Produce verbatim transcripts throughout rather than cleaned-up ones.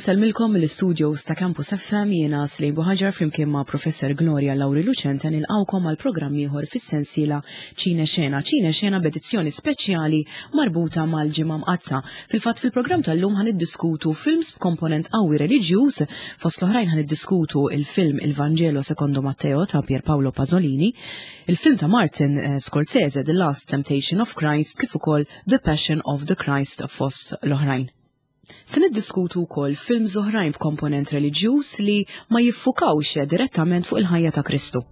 Insellmilkom mill-studios ta' Campus F M jiena Slejn Buħaġar flimkien ma' Professor Gloria Lauri Lucente nilqawkom għal programm ieħor fis-sensiela Ċine Xena. Ċine Xena b'edizzjoni speċjali marbuta mal-Ġimgħa Mqaddsa. Fil-fatt fil-programm tal-lum ħan iddiskutu films b'komponent qawwi reliġjuż, fost l-oħrajn ħan iddiskutu il-film Il Vangelo Secondo Matteo ta' Pier Paolo Pasolini, il-film ta' Martin, eh, Scorsese The Last Temptation of Christ, kif ukoll The Passion of the Christ fost l-oħrajn. Se niddiskutu wkoll films oħrajn b'komponent reliġjuż li ma jiffukawx direttament fuq il-ħajja ta' Kristu.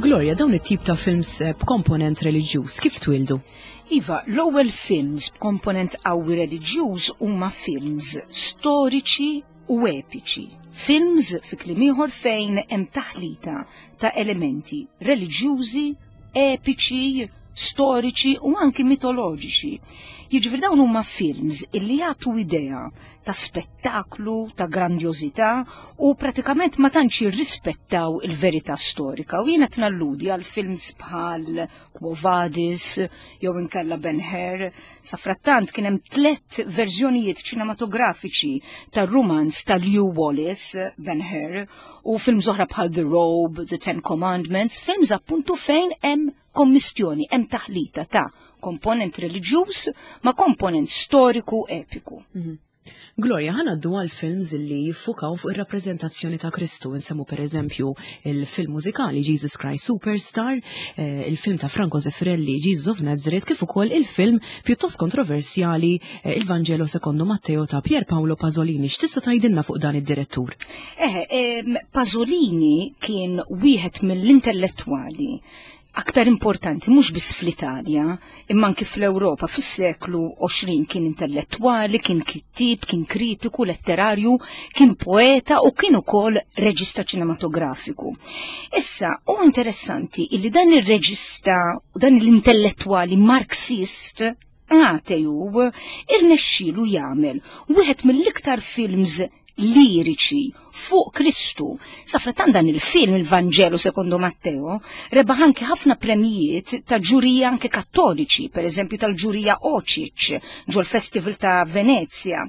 Gloria, dawn it-tip ta' films, eh, b'komponent reliġjuż kif twildu? Iva, l-ewwel films b'komponent qawwi reliġjuż huma films storiċi u epiċi. Films fi kliem ieħor fejn hemm taħlita ta' elementi reliġjużi, epiċi, storiċi u anki mitoloġiċi. Jiġifieri dawn huma films illi jagħtu idea ta' spettaklu, ta' grandjożità u pratikament ma tantx jirrispettaw il-verità storika. U jiena tnalludi għal films bħal Quo Vadis jew inkella Ben-Hur. Safrattant kien hemm tliet verżjonijiet ċinematografiċi tar-rumanz ta' Lew Wallace, Ben-Hur, u films oħra bħal The Robe, The Ten Commandments, films appuntu fejn hemm kommistjoni, hemm taħlita ta' komponent reliġjuż ma' komponent storiku epiku. Mhm. Gloria, ħa ngħaddu għal films li jiffukaw fuq ir-rappreżentazzjoni ta' Kristu. Insemmu per eżempju il-film mużikali Jesus Christ Superstar, eh, il-film ta' Franco Zeffirelli Jesus of Nazareth, kif ukoll il-film pjuttost kontroversjali, eh, Il Vangelo Secondo Matteo ta' Pier Paolo Pasolini. X'tista' tgħidilna fuq dan id-direttur? Eh, ehm, Pasolini kien wieħed mill-intellettwali aktar importanti mhux biss fl-Italja, imma anki fl-Ewropa fis-seklu għoxrin. Kien intellettwali, kien kittieb, kien kritiku letterarju, kien poeta u kien ukoll reġista ċinematografiku. Issa, hu interessanti illi dan ir-reġista u dan l-intellettwali Marxist ateju irnexxielu jagħmel wieħed mill-iktar films liriċi fuq Kristu. Safrattant dan il-film Il-Vangelo Secondo Matteo rebaħ anke ħafna premijiet ta' ġurija anke kattoliċi, per eżempju tal-ġurija Ocic ġol-Festival ta' Venezia.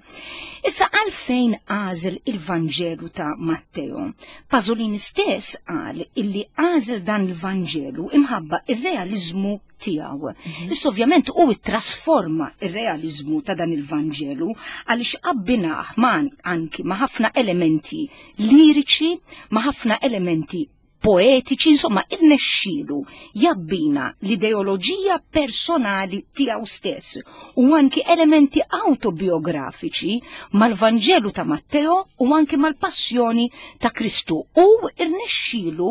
Issa għalfejn għażel il-Vanġelu ta' Matteo? Pasolini stess qal illi għażel dan il-Vanġelu imħabba ir-realizmu tiegħu. Mhm. Issa ovvjament hu ttrasforma ir-realizmu ta' dan il-Vanġelu għaliex abbinah ma' anki ma' ħafna elementi liriċi, ma' ħafna elementi poetiċi, insomma irnexxielu jabbina l-ideoloġija personali tiegħu stess u anki elementi autobiografiċi mal-Vanġelu ta' Matteo u anki mal-Passjoni ta' Kristu. U irnexxielu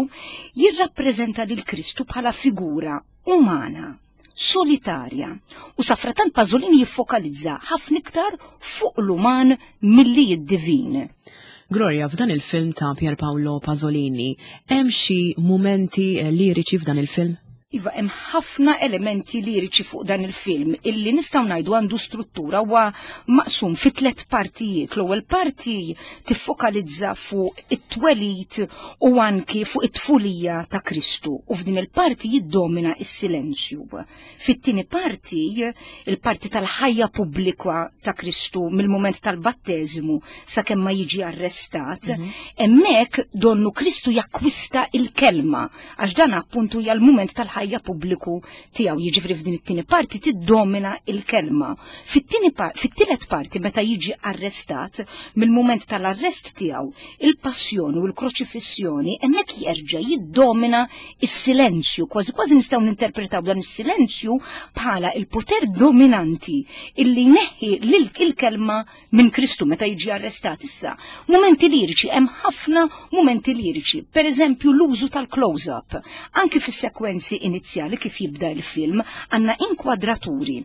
jirrappreżenta lil Kristu bħala figura umana, solitarja, u safratant Pasolini jiffokalizza ħafna iktar fuq l-uman milli d-divin. Gloria, f'dan il-film ta' Pier Paolo Pasolini, hemm xi mumenti, eh, liriċi f'dan il-film? Iva, hemm ħafna elementi liriċi fuq dan il-film illi nistgħu ngħidu għandu struttura huwa maqsum fi tliet partijiet. L-ewwel parti tiffokalizza fuq it-twelid u anki fuq it-tfulija ta' Kristu u f'din il-parti jiddomina s-silenzju. Fit-tieni parti, il-parti tal-ħajja pubblika ta' Kristu mill-mument tal-batteżimu sakemm ma jiġi arrestat, Mhm. hemmhekk donnu Kristu jakkwista il-kelma għax dan appuntu hija l-mument tal-ħajja fil-ħajja pubbliku tiegħu. Jiġifieri f'din it-tieni parti tiddomina il-kelma. Fit-tieni fit-tielet parti meta jiġi arrestat, mill-mument tal-arrest tiegħu, il-passjoni u l-kroċifissjoni, hemmhekk jerġa' jiddomina is-silenzju. Kważi kważi nistgħu ninterpretaw dan is-silenzju bħala il-poter dominanti illi jneħħi il-kelma minn Kristu meta jiġi arrestat. Issa, mumenti liriċi, hemm ħafna mumenti liriċi. Per eżempju, l-użu tal-close-up. Anki fis-sekwenzi inizjali kif jibda il-film, għandna inkwadraturi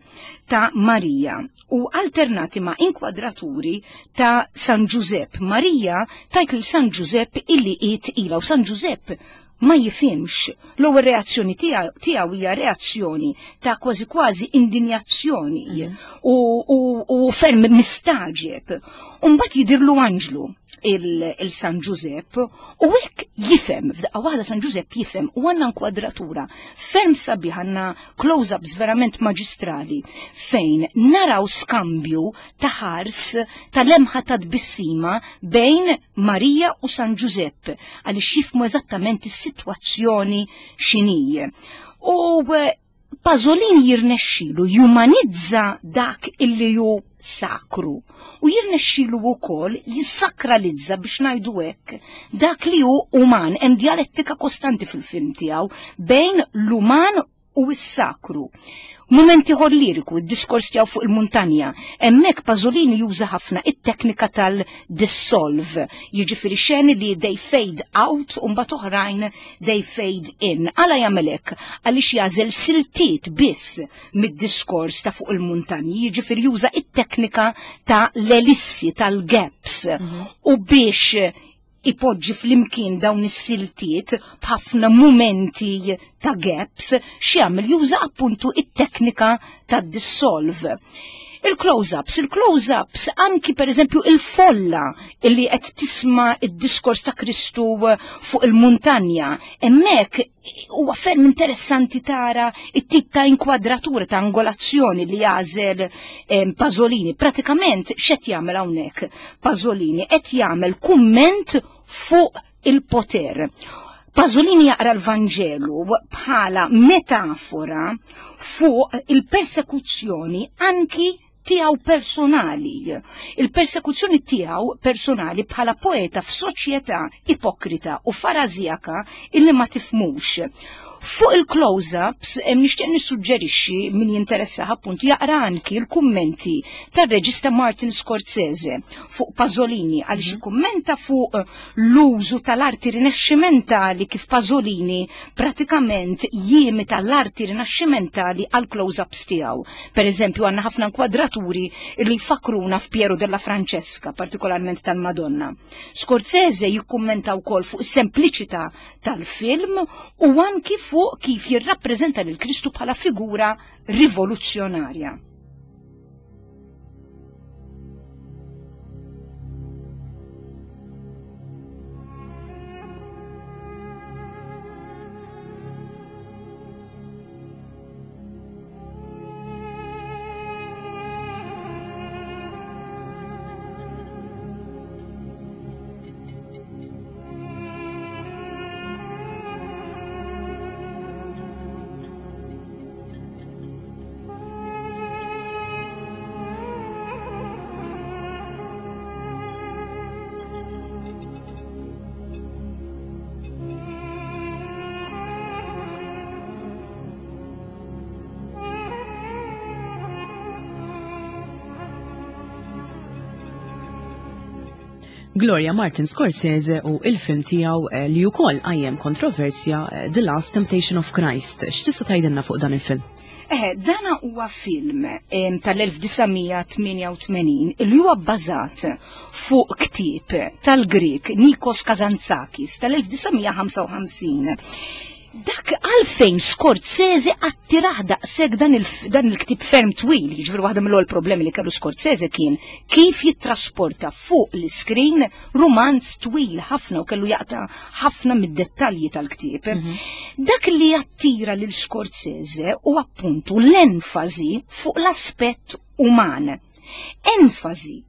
ta' Marija u alternati ma' inkwadraturi ta' San Giuseppe. Marija tgħid lil San Giuseppe illi hi tqila u San Giuseppe ma jifhimx. L-ewwel reazzjoni tiegħu hija reazzjoni ta' kważi kważi indinjazzjoni mm. u, u, u ferm mistaġeb. U mbagħad jidirlu anġlu il-San Giuseppe u hekk jifhem, f'daqqa waħda San Giuseppe jifhem u għandna inkwadratura ferm sabiħ, għandna close-ups verament maġistrali fejn naraw skambju ta' ħars, ta' lemħa ta' tbissima bejn Marija u San Giuseppe għaliex jifhmu eżattament is-sitwazzjoni x'inhi. U Pasolini jirnexxilu jumanizza dak illi hu sakru u jirnexxilu wkoll jissakralizza, biex ngħidu hekk, dak li hu uman. Hemm dialettika kostanti fil-film tiegħu bejn l-uman u s-sakru. Mument ieħor liriku, id-diskors tiegħu fuq il-muntanja. Hemmhekk Pasolini juża ħafna it-teknika tal-dissolve, jiġifieri xeni li they fade out u mbagħad oħrajn they fade in. Għala jagħmel hekk? Għaliex jagħżel siltiet biss mid-diskors ta' fuq il-muntanji, jiġifieri juża it-teknika ta' l-elissi, tal-gaps. Mhm. U biex ipoġġi flimkien dawn is-siltiet b'ħafna mumenti ta' gaps, x'jagħmel, juża appuntu it-teknika ta' dissolve. Il-close-ups, il-close-ups anki per eżempju il-folla illi qed tisma' id-diskors ta' Kristu fuq il-muntanja, hemmhekk huwa ferm interessanti tara it-tip ta' inkwadratura, ta' angolazzjoni li jagħżel eh, Pasolini. Pratikament x'qed jagħmel hawnhekk Pasolini? Qed jagħmel kumment fuq il-poter. Pasolini jaqra l-Vanġelu bħala metafora fuq il-persekuzzjoni anki tiegħu personali. Il-persekuzzjoni tiegħu personali bħala poeta f'soċjetà ipokrita u farażjaka illi ma tifhmux. Fuq il-close-ups, nixtieq nissuġġerixxi min jinteressah appuntu jaqra anki l-kummenti tar-reġista Martin Scorsese fuq Pasolini, għaliex mhm. kummenta fuq l-użu tal-arti rinaxximentali, kif Pasolini pratikament jimita l-arti rinaxximentali għal close-ups tiegħu. Per eżempju, għandna ħafna inkwadraturi li jfakruna f'Piero della Francesca, partikolarment tal-Madonna. Scorsese jikkummenta wkoll fuq is-sempliċità tal-film u anki fuq kif jirrappreżenta lil Kristu bħala figura rivoluzzjonarja. Gloria, Martin Scorsese u il-film tiegħu eh, li wkoll qajjem kontroversja, eh, The Last Temptation of Christ. X'tista' tgħidilna fuq dan il-film? Eh, dana huwa film tal-elf disa' mija tmienja u tmenin li huwa bbażat fuq ktieb tal-Grek Nikos Kazantzakis tal-elf disa' mija ħamsa u ħamsin. Dak għalfejn Scorsese attirah daqshekk dan il-ktib ferm twil, jiġifieri waħda mill-ewwel problemi li kellu Scorsese kien kif jittrasporta fuq l-iskrin romanz twil ħafna u kellu jaqta' ħafna mid-dettalji tal-ktieb. Mhm. Dak li jattira lil Scorsese u appuntu l-enfasi fuq l-aspett uman. Enfasi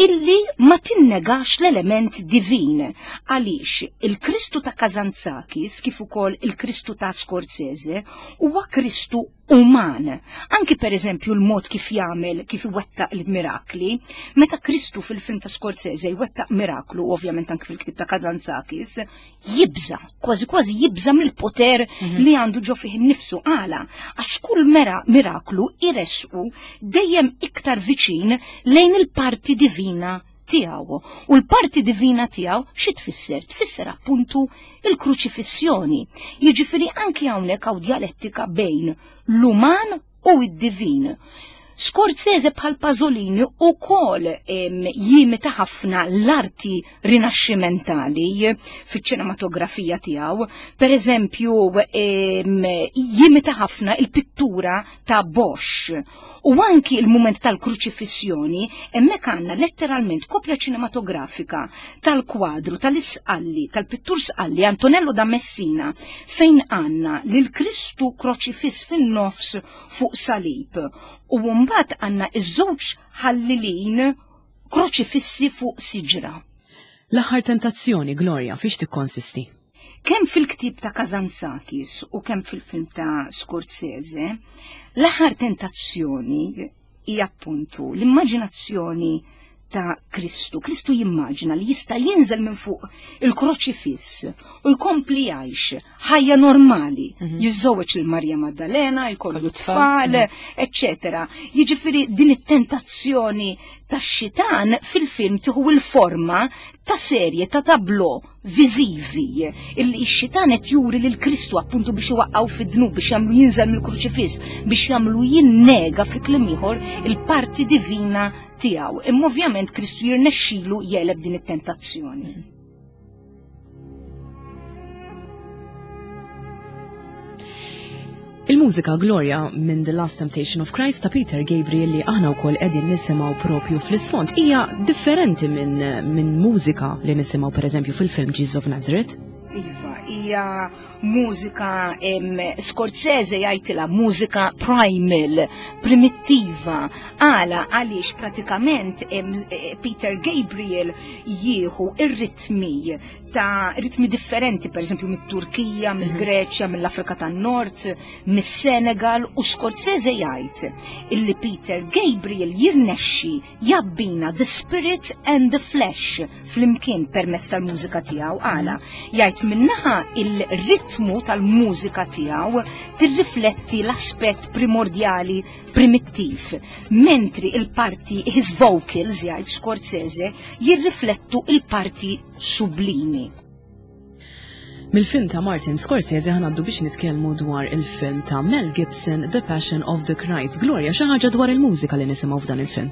illi ma tinnegax l-element divin, għaliex il-Kristu ta' Kazantzakis kif ukoll il-Kristu ta' Scorsese huwa Kristu uman. Anki per eżempju l-mod kif jagħmel, kif iwettaq il-mirakli, meta Kristu fil-film ta' Scorsese jwettaq miraklu, ovvjament anki fil-ktib ta' Kazantzakis, jibża, kważi kważi jibża mill-poter mm-hmm. li għandu ġo fih innifsu. Għala, għax kull mera miraklu iresqu dejjem iktar viċin lejn il-parti divina tiegħu. U l-parti divina tiegħu xi tfisser? Tfisser appuntu il-kruċifissjoni. Jiġifieri anki hawnhekk hawn djalettika bejn l-uman u id-divin. Scorsese bħal Pasolini u kol jimita ħafna l-arti rinaxximentali fiċ-ċinematografija tiegħu. Per eżempju, jimita ħafna il-pittura ta' Bosch. U anki il-moment tal-kruċifissjoni, hemmhekk għandna letteralment kopja ċinematografika tal-kwadru tal-Isqalli, tal-pittur Sqalli Antonello da Messina, fejn għandna lil Kristu kroċifiss fin-nofs fuq salib. U mbagħad għandna iż-żewġ ħallilin kroċifissi fuq siġra. L-aħħar tentazzjoni, Gloria, fiex tikkonsisti? Kemm fil-ktib ta' Kazantzakis u kemm fil-film ta' Scorsese, l-aħħar tentazzjoni hija appuntu l-immaġinazzjoni ta' Kristu. Kristu jimmaġina li jista' jinżel minn fuq il-kroċifiss u jkompli jgħix ħajja normali. Mm-hmm. Jiżżewweġ lil Marja Maddalena, jkollu tfal, eċċetera. Jiġifieri din it-tentazzjoni tax-xitan fil-film tieħu l-forma ta' serje ta' tablo viżivi illi x-xitan qed juri lil Kristu appuntu biex iwaqqgħu fid-dnub, biex jagħmlu jinżel mill-kruċifiss, biex jagħmlu jinnega fi kliem ieħor il-parti divina tiegħu. Imma ovvjament Kristu jirnexxilu jeleb din it-tentazzjoni. Il-mużika, Gloria, minn The Last Temptation of Christ ta' Peter Gabriel li aħna wkoll qegħdin nisimgħu propju fl-isfond hija differenti minn min mużika li nisimgħu pereżempju fil-film Jesus of Nazareth. Iva, hija mużika Scorsese jgħidilha mużika primal, primittiva. Għala, għaliex pratikament Peter Gabriel jieħu ir-ritmi ta' ritmi differenti, per eżempju mit-Turkija, mill-Greċja, mill-Afrika tan-Nord, mis-Senegal, u Scorsese jgħid illi Peter Gabriel jirnexxi jabbina the spirit and the flesh flimkien permezz tal-mużika tiegħu. Għala, jgħid minnaħa il-ritmu tal-mużika tiegħu tirrifletti l-aspett primordjali primittiv, mentri il-parti his vocals, jgħid Scorsese, jirriflettu il-parti sublimi. Mill-film ta' Martin Scorsese ħanaddu biex nitkellmu dwar il-film ta' Mel Gibson, The Passion of the Christ. Gloria, xi ħaġa dwar il-mużika li nisimgħu f'dan il-film?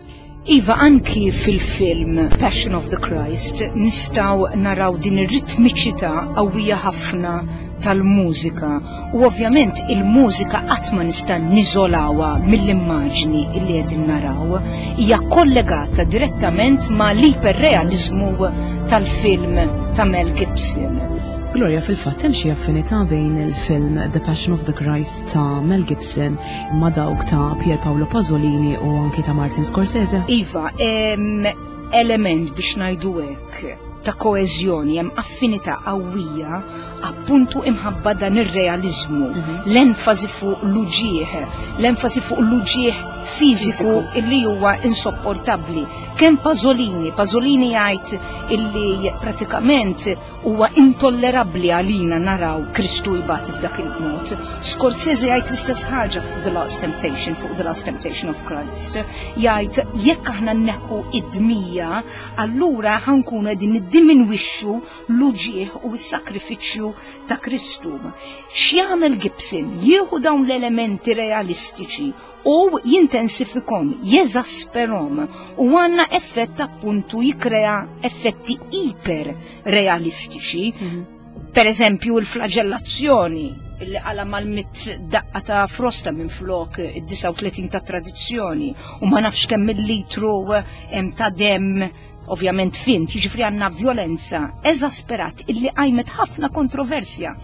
Iva, anki fil-film Passion of the Christ nistgħu naraw din ir-ritmiċità qawwija ħafna tal-mużika, u ovvjament il-mużika qatt ma nista' niżolawha mill-immaġni li qegħdin naraw, hija kollegata direttament ma' l-iperrealiżmu tal-film ta' Mel Gibson. Gloria, fil-fatt hemm xi affinità bejn il-film The Passion of the Christ ta' Mel Gibson ma' dawk ta' Pier Paolo Pasolini u anki ta' Martin Scorsese? Iva, em, element biex ngħidu hekk ta' koeżjoni, hemm affinità qawwija appuntu imħabba dan ir-realiżmu, mm-hmm. l-enfasi fuq l-uġieħ, l-enfasi fuq l-uġieħ fiżiku illi huwa insopportabbli. Kemm Pasolini, Pasolini jgħid illi pratikament huwa intollerabbli għalina naraw Kristu jbati f'dak il-mod. Scorsese jgħid l-istess ħaġa fuq The Last Temptation, fuq The Last Temptation of Christ. Jgħid jekk aħna nneħħu id-dmija, allura ħankunu qegħdin niddiminwixxu l-uġieħ u s-sakrifiċċju ta' Kristu. X'jagħmel Gibson? Jieħu dawn l-elementi realistiċi u jintensifikom, jeżasperom, u għanna effett appuntu jikrea effetti iper realistiċi. Mm-hmm. Per eżempju, il-flagellazzjoni illi għala mal-mit daqqa ta' frosta minn flok id-disgħa u tletin ta' tradizzjoni, u ma nafx kemm il-litru ta' dem ovvjament fint, jiġifieri għandna violenza eżasperat illi qajmet ħafna kontroversja.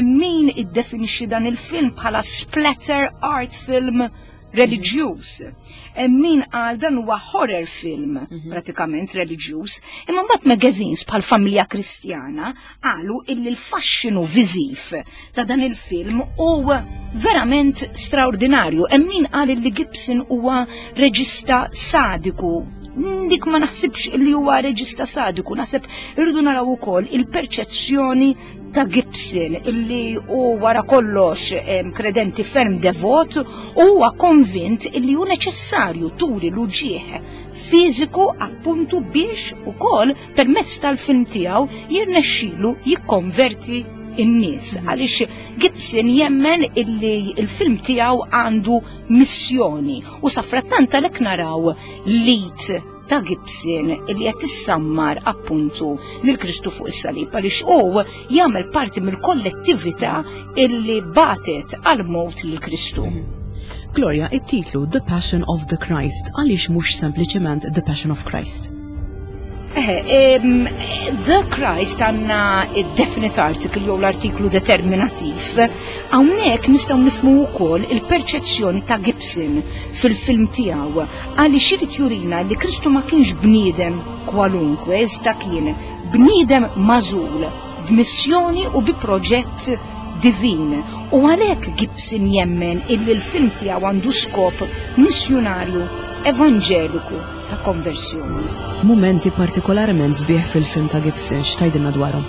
Min iddefinixxi dan il-film bħala splatter art film reliġjuż. Min qal dan huwa horror film mhm. pratikament reliġjuż, imma mbagħad magazines bħal Familja Kristjana qalu illi l-faxxinu viżiv ta' dan il-film huwa verament straordinarju. Hemm min qal illi Gibson huwa reġista sadiku. Dik ma naħsibx li huwa reġista sadiku, naħseb irridu naraw ukoll il-perċezzjoni ta' Gibson illi u wara kollox kredenti ferm devot u huwa konvint illi hu neċessarju turi l-uġieħ fiżiku appuntu biex ukoll permezz tal-film tiegħu jirnexxilu jikkonverti in-nies għaliex Gibson jemmen illi il-film tiegħu għandu missjoni u safrattant għalhekk naraw lit ta' Gibson illi qed tissammar appuntu lil Kristu fuq is-salib għaliex hu jagħmel parti mill-kollettività illi batet għal mowt lil Kristu. Gloria, it-titlu The Passion of the Christ għaliex mhux sempliċement The Passion of Christ? Eh, The Christ għanna definite article jew l-artiklu determinativ. Hawnhekk nistgħu nifhmu wkoll il-perċezzjoni ta' Gibson fil-film tiegħu għaliex irid jurina li Kristu ma kienx bniedem kwalunkwe, iżda kien bniedem magħżul b'missjoni u bi proġett divin. U għalhekk Gibson jemmen illi l-film tiegħu għandu skop missjonarju evanġeliku ta' konversjoni. Mumenti partikolarment sbieħ fil-film ta' Gibson, x'tgħidilna dwarhom?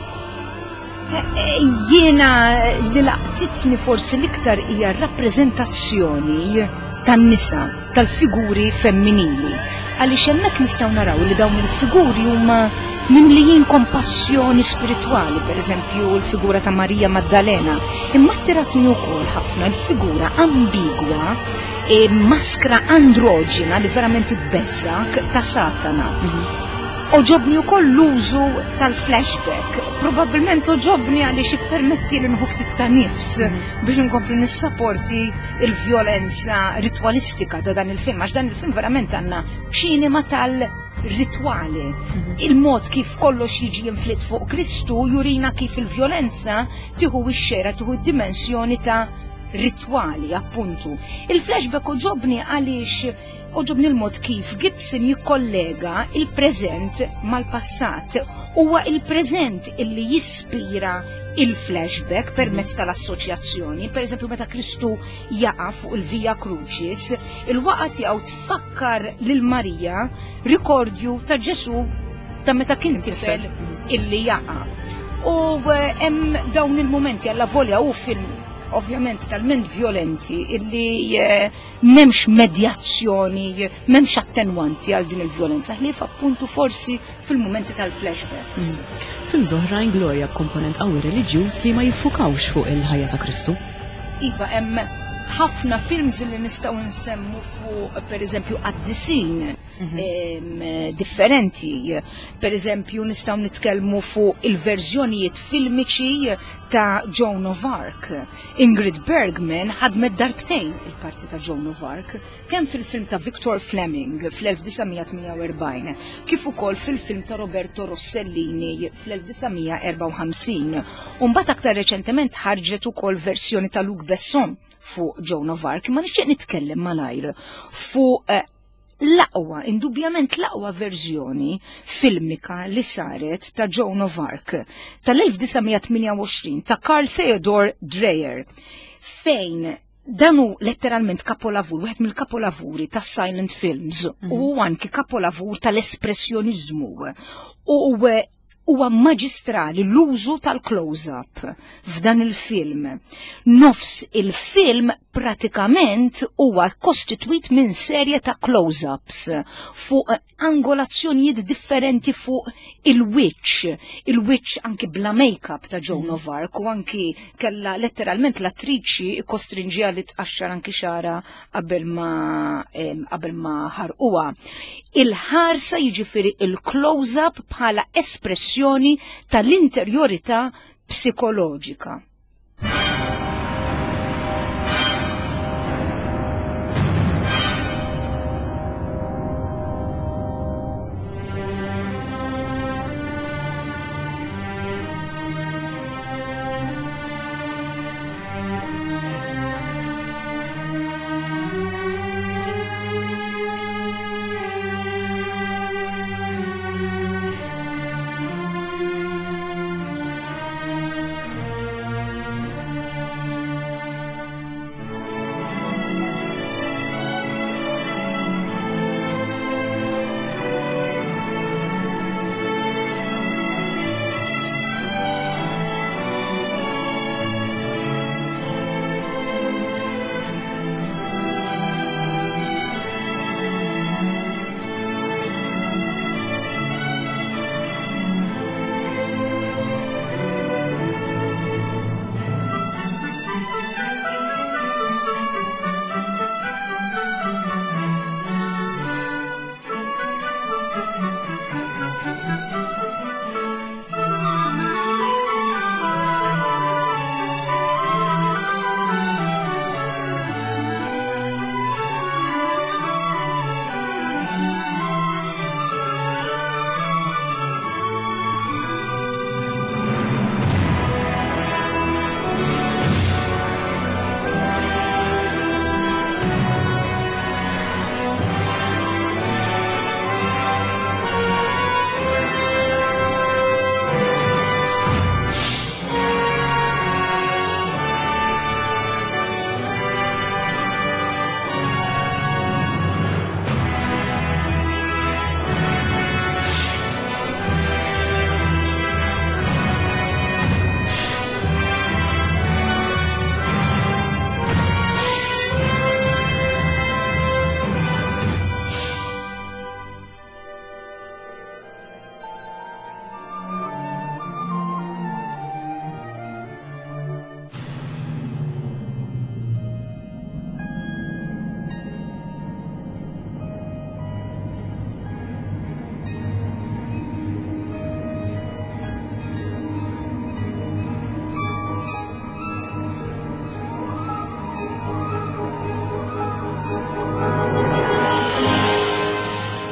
Jiena li laqtitni forsi l-iktar hija rappreżentazzjoni tan-nisa, tal-figuri femminili. Għaliex hemmhekk nistgħu naraw li dawn il-figuri huma mimlijin kompassjoni spiritwali, per eżempju l-figura ta' Marija Maddalena, imma attiratni wkoll ħafna l-figura ambigwa e maskra androġina li verament tbeżżak ta' Satana. Għoġobni wkoll l-użu tal-flashback. Probabbilment għoġobni għaliex ippermetti li nieħu ftit ta' nifs biex nkompli nissaporti il-vjolenza ritwalistika ta' dan il-film, għax dan il-film verament għandna ċinema tal-ritwali. Il-mod kif kollox jiġi inflitt fuq Kristu jurina kif il-vjolenza tieħu x-xera, tieħu d-dimensjoni ta' ritwali, appuntu. Il-flashback għoġobni għaliex għoġobni l-mod kif Gibson jikkollega il-preżent mal-passat. Huwa il-preżent illi jispira il-flashback permezz tal-assoċjazzjoni. Per eżempju, meta Kristu jaqa' fuq il-Via Crucis, il-waqa tiegħu tfakkar lil Marija rikordju ta' Ġesu ta' meta kien tifel illi jaqa'. U hemm dawn il-momenti alla volja u film ovvjament talment violenti illi m'hemmx medjazzjoni, m'hemmx attenwanti għal din il-violenza, ħlief appuntu forsi fil-momenti tal-flashbacks. Films oħrajn Gloria b'komponent qawwi reliġjuż li ma jiffukawx fuq il-ħajja ta' Kristu. Iva, hemm ħafna films li nistgħu nsemmu fuq per eżempju qaddisin differenti. Per eżempju nistgħu nitkellmu fuq il-verżjonijiet filmiċi ta' Joan of Arc. Ingrid Bergman ħadmet darbtejn il-parti ta' Joan of Arc, kemm fil-film ta' Victor Fleming fl-elf disa' mija tmienja u erbgħin, kif ukoll fil-film ta' Roberto Rossellini fl-elf disa' mija erbgħa u ħamsin. U mbagħad aktar reċentement ħarġet ukoll verżjoni ta' Luc Besson fuq Joan of Arc, ma nixtieq nitkellem malajr fuq l-aqwa, indubjament l-aqwa verżjoni filmika li saret ta' Joan of Arc tal-elf disa' mija tmienja u għoxrin ta' Carl Theodor Dreyer, fejn dan hu letteralment kapolavur, wieħed mill-kapolavuri tas silent films u anki kapolavur tal-espressjonizmu. U huwa maġistrali l-użu tal-close-up f'dan il-film. Nofs il-film pratikament huwa kostitwit minn serje ta' close-ups fuq angolazzjonijiet differenti fuq il-witch, il-witch anki bla make-up ta' Joan of Arc, u anki kella letteralment l-attriċi kostrinġija li tqaxxar anki xara qabel ma, em, qabel ma ħarquha. Il-ħarsa jiġifieri il-close-up bħala espressjoni tal-interjorità psikoloġika.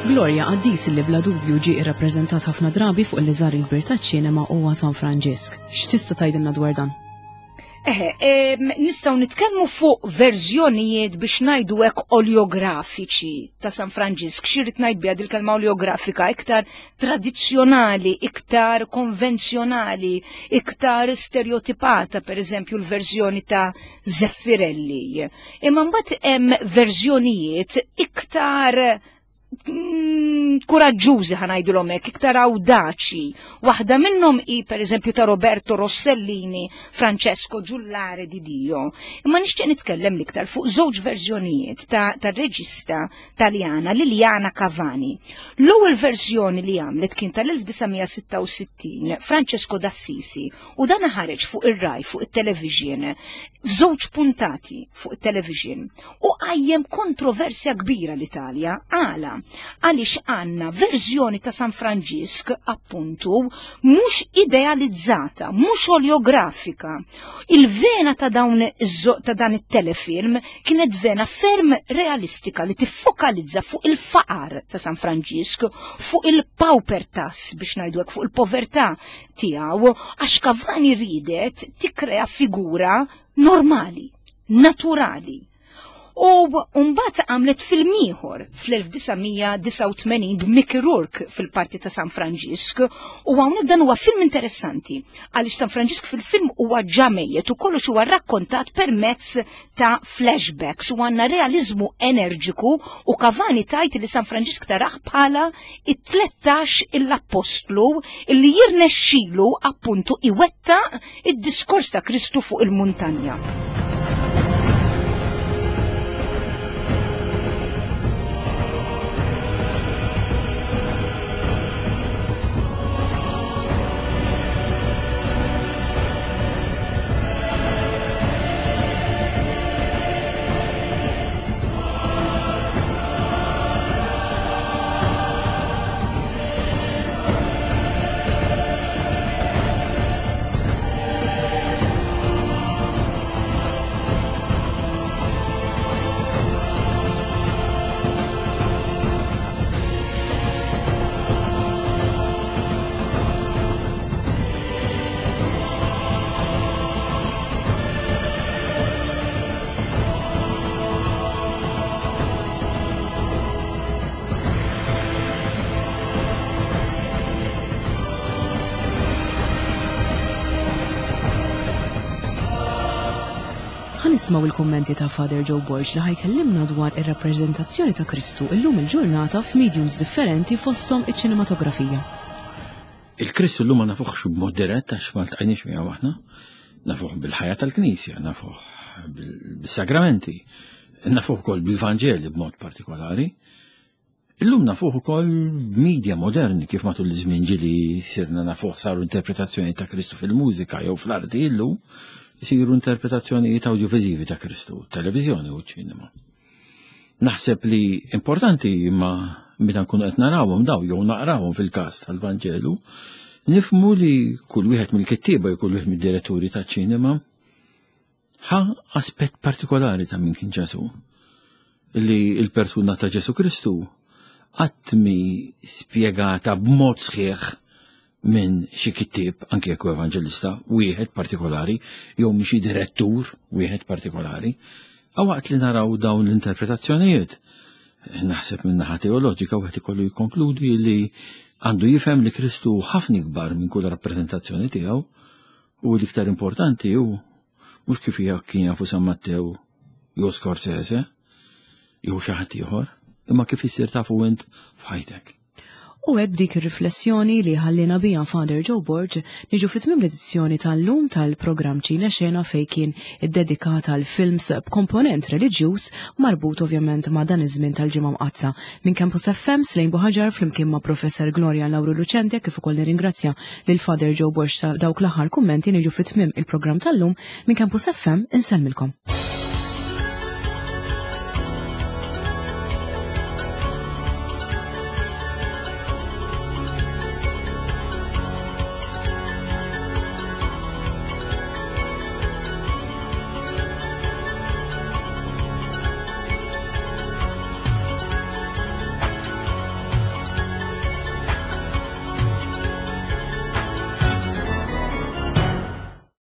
Gloria, qaddis li bla dubju ġie irrappreżentat ħafna drabi fuq il-liżar il-kbir taċ-ċinema huwa San Franġisk. X'tista' tgħidilna dwar dan? Eħe, nistgħu nitkellmu fuq verżjonijiet biex ngħidu hekk oleografiċi ta' San Franġisk. Xi rrid ngħid biha dil-kelma oleografika? Iktar tradizzjonali, iktar konvenzjonali, iktar stereotipata, per eżempju l-verżjoni ta' Zeffirelli. Imma mbagħad hemm verżjonijiet iktar kuraġġużi, ħa ngħidulhom hekk, iktar awdaċi. Waħda minnhom hi pereżempju ta' Roberto Rossellini, Francesco Giullare di Dio. Imma nixtieq nitkellem l-iktar fuq żewġ verżjonijiet ta' tar-reġista Taljana Liliana Cavani. L-ewwel verżjoni li għamlet kien tal-elf disa' mija sitta u sittin, Francesco d'Assisi, u dan ħareġ fuq ir-Rai, fuq it-television, f'żewġ puntati fuq it-television, u qajjem kontroversja kbira l-Italja. Għala? Għaliex għandna verżjoni ta' San Franġisk appuntu mhux idealizzata, mhux oleografika. Il-vena ta' dawn ta' dan it-telefilm kienet vena ferm realistika li tiffokalizza fuq il-faqar ta' San Franġisk, fuq il-paupertas biex ngħidu hekk, fuq il-povertà tiegħu, għax Cavani ridet tikkrea figura normali, naturali. U mbagħad għamlet film ieħor fl-elf disa' mija disgħa u tmenin b'Mickey Rourke fil-parti ta' San Franġisk, u hawnhekk dan huwa film interessanti għaliex San Franġisk fil-film huwa ġa mejjet u kollox huwa rrakkontat permezz ta' flashbacks u għandna realizmu energiku, u Cavani tgħid li San Franġisk tarah bħala it-tlettax l-appostlu li jirnexxilu appuntu iwettaq id-diskors ta' Kristu fuq il-muntanja. Nisimgħu il-kummenti ta' Father Joe Borg li ħa jkellimna dwar ir-rappreżentazzjoni ta' Kristu illum il-ġurnata f'mediums differenti, fosthom iċ-ċinematografija. Il-Kristu llum ma nafuħx b'mod dirett għax ma ltqajniex miegħu aħna, nafuh bil-ħajja tal-Knisja, nafuh bil-sagramenti, nafuh ukoll bil-Vanġeli b'mod partikolari. Illum nafuh ukoll media moderni, kif matul iż-żmien ġieli sirna nafuh, saru interpretazzjoni ta' Kristu fil-mużika jew fl-arti, illum jisiru interpretazzjonijiet audiovisivi ta' Kristu, televizjoni u ċinema. Naħseb li importanti, imma meta nkunu qed narawhom daw jew naqrawhom fil-każ tal-Vanġelu, nifhmu li kull wieħed mill-kittieba jew kull wieħed mid-diretturi taċ-ċinema ħa aspett partikolari ta' min kien Ġesu. Li il-persuna ta' Ġesu Kristu qatt mi spjegata b'mod sħiħ minn xi kittieb, anke jekk evanġelista wieħed partikolari, jew minn xi direttur wieħed partikolari. Waqt li naraw dawn l-interpretazzjonijiet, naħseb minn naħa teoloġika wieħed ikollu jikkonkludi li għandu jifhem li Kristu ħafna ikbar minn kull rappreżentazzjoni tiegħu, u l-iktar importanti hu mhux kif kien jafu San Mattew jew Scorsese jew xi ħadd ieħor, imma kif issir tafu int f'ħajtek. U hekk, dik ir-riflessjoni li ħallina bija Father Joe Borg, niġu fi tmiem l-edizzjoni tal-lum tal-programm Ċine Xena, fejn kien iddedikat għal films b'komponent reliġjuż marbut ovvjament ma' dan iż-żmien tal-Ġimgħa Mqaddsa. Minn Campus F M, Slejn Buħaġar flimkien ma' Professor Gloria Lauru Lucente, kif ukoll nirringrazzja lil Father Joe Borg ta' dawk l-aħħar kummenti, niġu fi tmiem il-programm tal-lum. Minn Campus F M insellmilkom.